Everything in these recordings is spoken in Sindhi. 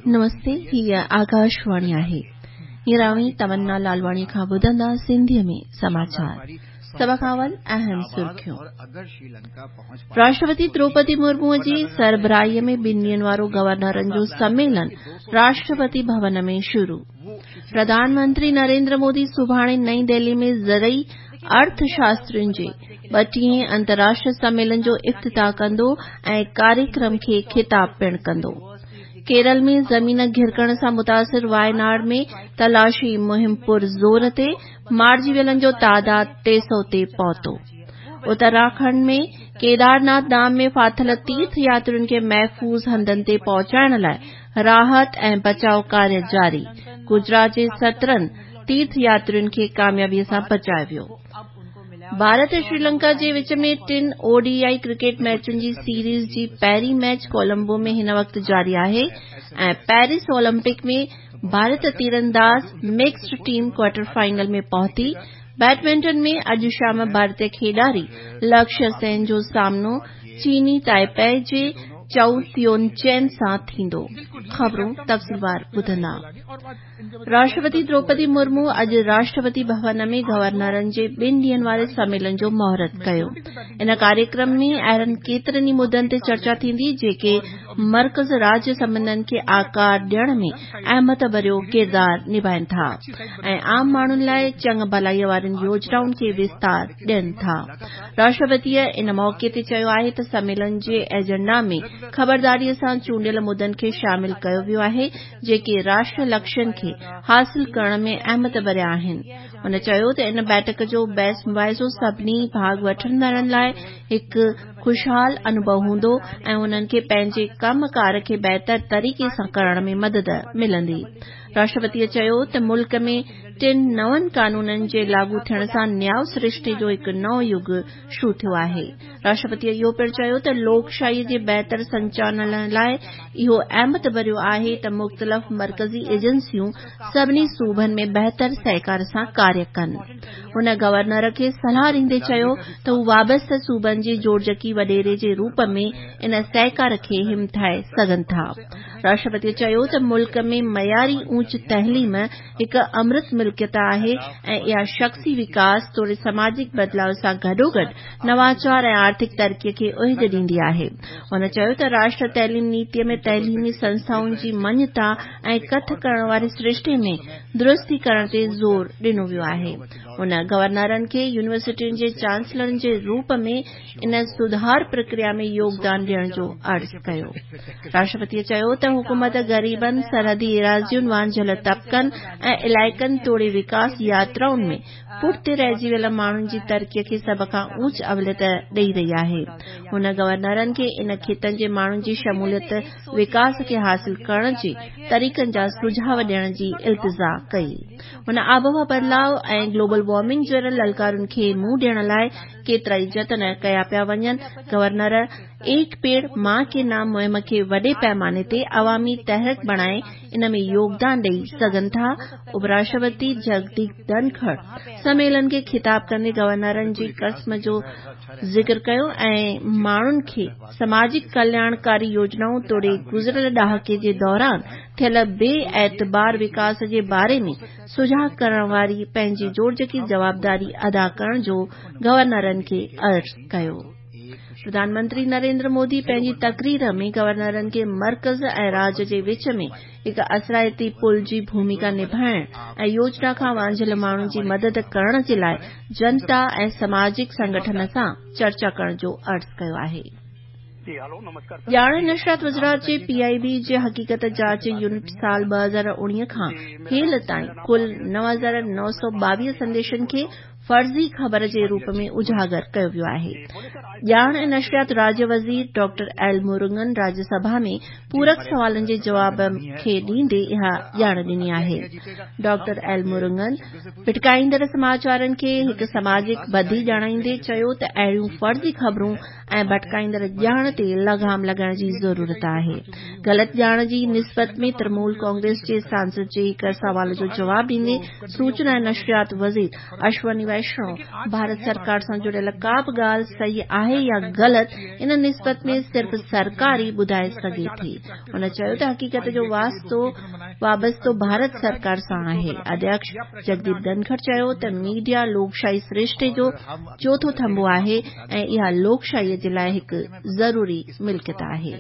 نمستي، هيء آڪاشواڻي آهي. هينئر اوهين تمنا لالواڻيء کان ٻڌندا سنڌيء ۾ سماچار. سڀ کان اول اهم سرخيون. راشٽرپتي دروپدي مرموء جي سربراهيء ۾ ٻن ڏينهن وارو گورنرن جو سميلن راشٽرپتي ڀون ۾ شروع. پرڌان منتري نريندر مودي سڀاڻي نئين دهلي ۾ زرعي ارٿ شاسترين جي ٻٽيهين انترراشٽريه سميلن جو افتتاح ڪندو ۽ ڪاريڪرم کي خطاب پڻ ڪندو. ڪيرل ۾ زمين گهرڪڻ سان متاثر وايناڊ ۾ تلاشي مهم پر زور تي، مارجي ويلن جو تعداد 300 تي پهتو. اتراکنڊ ۾ ڪيدارناٿ ڌام ۾ ڦاٿل تيرٿ ياترين کي محفوظ هنڌن تي پهچائڻ لاء راحت ۽ بچاء ڪاريه جاري، گجرات جي 17 تيرٿ ياترين کي ڪاميابي سان بچايو ويو. ڀارت ۽ شريلنڪا جي وچ ۾ ٽن او ڊي I cricket ميچن جي سيريز جي پهرين ميچ ڪولمبو ۾ هن وقت جاري آهي ۽ پيرس اولمپڪ ۾ ڀارت تيرانداز مڪسڊ ٽيم ڪوارٽر فائنل ۾ پهتي. بيڊمنٽن ۾ اڄ شام ڀارتي کيڏاري لڪشيه سين جو سامنو چيني تائپي جي چئو تيون چين سان ٿيندو. خبرون تفصيلوار ٻڌندا. راشٽرپتي دروپدي مرمو اڄ راشٽرپتي ڀون ۾ گورنرن جي ٻن ڏينهن واري سميلن جو مهورت ڪيو. ان ڪاريڪرم ۾ اهڙن ڪيترن ئي مدن تي چرچا ٿيندي جيڪي مرڪز راجيه سنٻنڌن کي آڪار ڏيڻ ۾ اهميت ڀريو ڪردار نڀائين ٿا ۽ عام ماڻهن لاء چڱ ڀلائي وارين يوجنائن کي وستار ڏين ٿا. راشٽرپتيء ان موقعي تي چيو آهي ته سميلن جي ايجنڊا ۾ خبرداريء سان چونڊيل مدن کي شامل ڪيو ويو آهي جيڪي راشٽر لڪشين کي حاصل ڪرڻ ۾ اهميت ڀريا آهن. هن چيو ته ان بيٺڪ جو بحث مباحثو سڀني ڀاڳ وٺندڙن لاء هڪ خوشحال انوڀو هوندو ۽ انهن کي پنهنجي ڪم ڪار کي بهتر طريقي سان ڪرڻ ۾ مدد ملندي. راشٽرپتيء چيو ته ملڪ ۾ ٽن نون قانونن جي لاڳو ٿيڻ سان نياء سرشتي جو هڪ نئون يگ شروع ٿيو آهي. راشٽرپتيء اهو پڻ چيو ته لوڪشاهيء جي بهتر سنچالن لاء اهو اهميت ڀريو آهي ته مختلف مرڪزي ايجنسيون سڀني صوبن ۾ بهتر سهڪار سان ڪاريه ڪن. هن گورنر کي صلاح ڏيندي چيو ته هو وابسته صوبن جي جوڙجڪي وڏيري جي روپ ۾ ان سهڪار کي همٿائي سگهن ٿا. راشٽرپتيء چيو ته ملڪ ۾ معياري اوچ تعليم هڪ امرت ملڪيت آهي ۽ اها شخصي وڪاس توڙي سماجڪ بدلاء سان گڏوگڏ نواچار ۽ آرٿڪ ترقي کي اوج ڏيندي آهي. هن چيو ته راشٽر تعليم نيتي ۾ تعليمي سنسٿائن جي مڃتا ۽ ڪٿ ڪرڻ واري سرشتي ۾ درستي ڪرڻ تي زور ڏنو ويو آهي. هن گورنرن کي يونيورسٽين جي چانسلرن جي روپ ۾ ان سڌار پرڪريا ۾ يوگدان ڏيڻ جو عرض ڪيو. راشٽرپتيء چيو ته حڪومت غريبن، سرحدي ايراضين، وانجهيل طبقن ۽ علائقن توڙي وڪاس ياترائن ۾ پٺتي رهجي ويل ماڻهن جي ترقي کي سڀ کان اوچ اوليت ڏئي رهي آهي. هن گورنرن کي ان خطن جي ماڻهن جي شموليت وڪاس کي حاصل ڪرڻ جي طريقن جا سجهاء ڏيڻ جي التجا ڪئي. هن آبهوا بدلاء ۽ گلوبل وارمنگ جهڙن للڪارن کي منهن ڏيڻ لاء ڪيترائي جتن ڪيا پيا وڃن، گورنر ايڪ پيڙ مان ڪي نام مهم کي وڏي پئماني تي عوامي تحرڪ بڻائي ان ۾ يوگدان ڏئي سگهن ٿا، اپراشٽرپتي جگديپ ڌنکڙ سميلن کي خطاب ڪندي گورنرن جي قسم جو ذڪر ڪيو ۽ ماڻهن کي سماجڪ ڪلياڻڪاري يوجنائون توڙي گذريل ڏهاڪي جي دوران ٿيل بي اعتبار وڪاس جي باري ۾ سجاڳ ڪرڻ واري پنهنجي جوڙجڪي جوابداري ادا ڪرڻ جو گورنرن کي عرض ڪيو. پرڌان منتري نريندر مودي پنهنجي تقرير ۾ گورنرن کي مرڪز ۽ راج جي وچ ۾ هڪ اثرائتي پل جي ڀوميڪا نڀائڻ ۽ يوجنا کان وانجهيل ماڻهن جي مدد ڪرڻ جي لاء جنتا ۽ سماجڪ سنگٺن سان چرچا ڪرڻ جو عرض ڪيو آهي. ڄاڻ ۽ نشريات وزارت جي پي آء بي جي حقيقت جاچ يونٽ سال 2019 کان هيل تائين ڪل 9922 سنديشن کي فرضي خبر جي روپ ۾ اجاگر ڪيو ويو آهي. ڄاڻ ۽ نشريات راجيه وزير ڊاڪٽر ايل مرگن راجيه سڀا ۾ پورڪ سوالن جي جواب کي ڏيندي اها ڄاڻ ڏني آهي. ڊاڪٽر ايل مرگن ڀٽڪائيندڙ سماچارن کي هڪ سماجڪ بدي ڄاڻائيندي چيو ته اهڙيون فرضي خبرون ۽ ڀٽڪائيندڙ ڄاڻ تي لغام لڳائڻ جي ضرورت آهي. غلط ڄاڻ جي نسبت ۾ ترنمول ڪانگريس جي سانسد جي هڪ سوال جو جواب ڏيندي سوچنا ۽ نشريات وزير اشوني ويشڻو ڀارت سرڪار سان جڙيل ڪا به ڳالهه صحيح آهي يا غلط ان نسبت ۾ صرف سرڪار ئي ٻڌائي سگهي ٿي. هن چيو ته حقيقت جو واسطو وابستو ڀارت سرڪار سان آهي. اڌيڪش جگديپ ڌنکڙ چيو ته ميڊيا لوڪشاهي سرشتي جو چوٿون ٿنڀو آهي ۽ اها لوڪشاهي جي لاء هڪ ضروري ملڪيت آهي.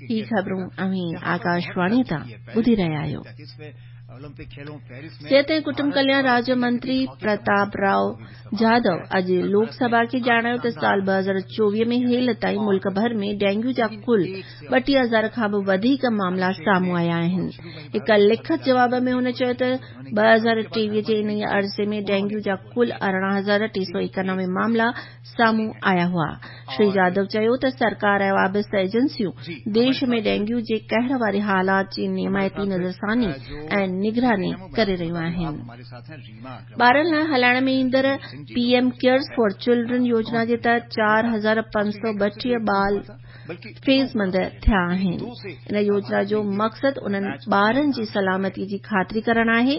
هي خبرون اوهين آڪاشواڻي تان ٻڌي رهيا آهيو. صحت ۽ ڪٽنب ڪلياڻ راجيه منتري پرتاب رائو جادو اڄ لوڪ سڀا کي ڄاڻايو ته سال 2024 ۾ هيل تائين ملڪ ڀر ۾ ڊينگيو جا ڪل 32,000 کان به وڌيڪ معاملا سامهون آيا آهن. هڪ لکت جواب ۾ هن چيو ته 2023 جي انهيء عرصي ۾ ڊينگيو جا ڪل 18,391 معاملا سامهون آيا هئا. شري جادو چيو ته سرڪار ۽ وابسته ايجنسيون ديش ۾ ڊينگيو جي قهر واري حالات جي نيمائتي نظرثاني ۽ نگراني ڪري رهيون آهن. ٻارن لاء هلائڻ ۾ ايندڙ P M cares for children يوجنا جي تحت 4532 ٻال فيضمند ٿيا آهن. ان يوجنا جو مقصد انهن ٻارن جي سلامتي جي خاطري ڪرڻ آهي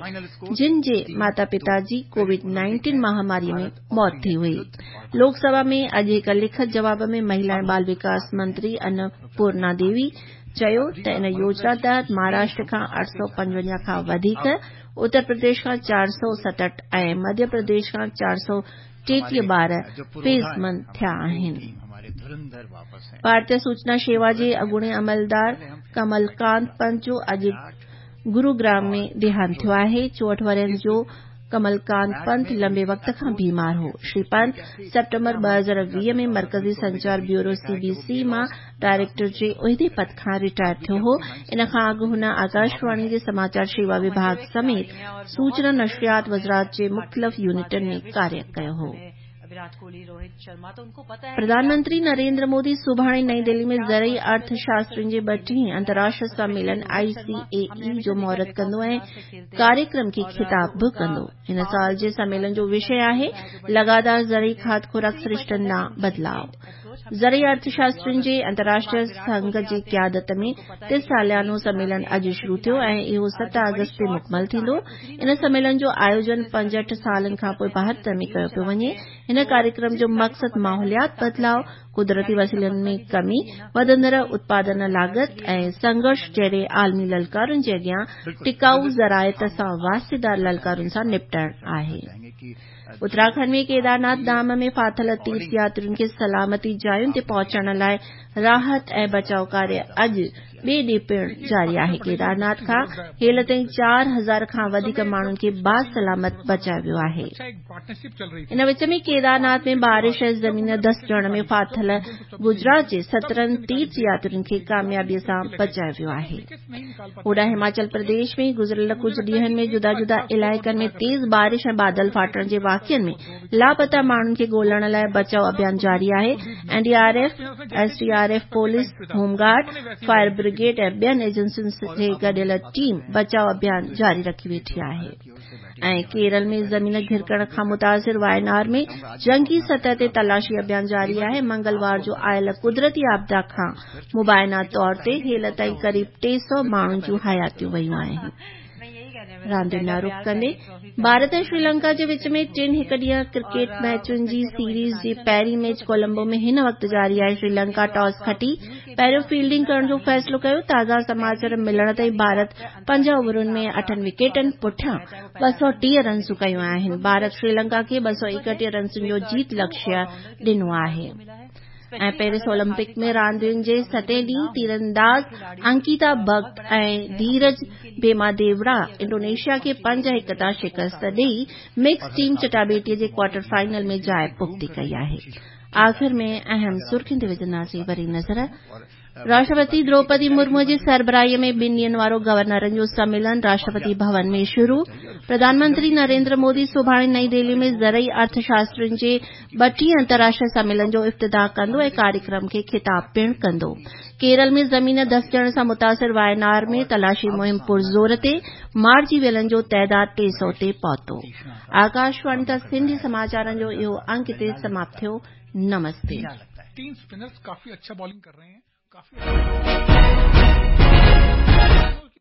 جن جي ماتا پتا جي ڪووڊ 19 مهاماري ۾ موت ٿي هئي. لوڪ سڀا ۾ اڄ هڪ لکت جواب ۾ مهلا ۽ ٻال وڪاس منتري ان پورنا ديوي چيو ته ان يوجنا تحت مهاراشٽر کان 855 کان وڌيڪ، اتر پرديش کان 467 ۽ مڌيه پرديش کان 433 ٻار فيضمند ٿيا آهن. ڀارتيه سوچنا شيوا جي اڳوڻي عملدار ڪمل ڪانت پنت جو اڄ گروگرام ۾ ديهانت ٿيو آهي. 64 ورهين جو ڪمل ڪانت پنت لنبي وقت کان بيمار هو. شري پنت سيپٽمبر 2020 ۾ مرڪزي سنچار بيورو سي بي سي مان ڊائريڪٽر جي عهدي پد کان رٽائر ٿيو هو. ان کان اڳ هن آڪاشواڻي جي سماچار شيوا وڀاڳ سميت سوچنا نشريات وزارت جي مختلف يونٽن ۾ ڪاريه ڪيو هو. پرڌان منتري نريندر مودي سڀاڻي نئين دهلي ۾ زرعي ارٿ شاسترين جي ٻٽيهين انترراشٽريه سميلن آء سي اي اي جو مهورت ڪندو ۽ ڪاريڪرم کي خطاب به ڪندو. هن سال جي سميلن جو وشي آهي لڳاتار زرعي کاڌ خوراڪ سرشتن ڏانهن بدلاء. زرعي ارٿ شاسترين جي انترراشٽريه سنگهه جي قيادت ۾ تي ساليانو سميلن اڄ شروع ٿيو ۽ اهو 7 آگسٽ تي مڪمل ٿيندو. ان سميلن جو آيوجن 65 سالن کانپوء ڀارت ۾ ڪيو پيو وڃي. هن ڪاريڪرم جو مقصد ماحوليات بدلاء، قدرتي وسيلن ۾ ڪمي، وڌندڙ اتپادن لاڳت ۽ سنگهرش جهڙي عالمي للڪارن جي اڳيان ٽڪائو زراعت سان واسطيدار للڪارن سان نپٽڻ آهي. اتراکنڊ ۾ ڪيدارناٿ ڌام ۾ ڦاٿل تيرٿ ياترين کي سلامتي جاين تي پهچائڻ لاء راحت ۽ بچاء ڪاريه اڄ ٻئي ڏينهن پڻ جاري آهي. ڪيدارناٿ کان هيل تائين 4000 کان وڌيڪ ماڻهن کي باسلامت بچايو ويو آهي. ان وچ ۾ ڪيدارناٿ ۾ بارش ۽ زمين ڌسجڻ ۾ ڦاٿل گجرات جي 17 تيرٿ ياترين کي ڪاميابي سان بچايو ويو آهي. هوڏانهن هماچل پرديش ۾ گذريل ڪجهه ڏينهن ۾ جدا جدا علائقن ۾ تيز بارش ۽ بادل ڦاٽڻ جي واقعن ۾ لاپتا ماڻهن کي ڳولڻ لاء بچاء اڀيان جاري آهي. N D R F, S D R F, police, home guard, fire brigade ۽ ٻين ايجنسين جي گڏيل ٽيم بچاء اڀيان جاري رکي ويٺي آهي. ۽ ڪيرل ۾ زمين گهرڪڻ کان متاثر واينار ۾ جنگي سطح تي تلاشي اڀيان جاري آهي. منگلوار جو آيل قدرتي آپدا کان مبينا طور تي هيل تائين قريب 300 ماڻهن جون حياتيون ويون آهن. راندين ڏانهن رخ ڪندي ڀارت ۽ شريلنڪا جي وچ ۾ ٽن هڪ ڏينهن ڪرڪيٽ ميچن جي سيريز جي پهرين ميچ ڪولمبو ۾ هن وقت جاري آهي. شريلنڪا ٽاس کٽي پهريون فيلڊنگ ڪرڻ جو فيصلو ڪيو. تازا سماچار ملڻ تائين ڀارت پنج اوورن ۾ اٺن وڪيٽن پٺيان 230 رنسون ڪيون آهن. ڀارت شريلنڪا کي 231 رنسن جو جيت لڪشيه ڏنو آهي. ۽ پيرس اولمپڪ ۾ راندين جي ستين ڏينهن تيرانداز انڪيتا ڀڳت ۽ ڌيرج ڀيماديوڙا انڊونيشيا کي 5-1 تان شڪست ڏئي مڪس ٽيم چٽاڀيٽي جي ڪوارٽر فائنل ۾ جاء پختي ڪئي آهي. آخر ۾ اهم سرخين تي وجهنداسين وري نظر. راشٽرپتي دروپدي مرمو جي سربراهي ۾ ٻن ڏينهن وارو گورنرن جو سميلن راشٽرپتي ڀون ۾ شروع. پرڌان منتري نريندر مودي سڀاڻي نئين دهلي ۾ زرعي ارٿ شاسترين جي ٻٽيهين انترراشٽريه سميلن جو افتتاح ڪندو ۽ ڪاريڪرم کي خطاب پڻ ڪندو. ڪيرل ۾ زمين ڌسجڻ سان متاثر واينار ۾ تلاشي مهم پرزور تي، مارجي ويلن جو تعداد 300 تي پهتو. آڪاشواڻي تان سنڌي سماچارن جو اهو انڪ هتي سماپت ٿيو. نمستي. तीन स्पिनर्स काफी अच्छा बॉलिंग कर रहे हैं, काफी।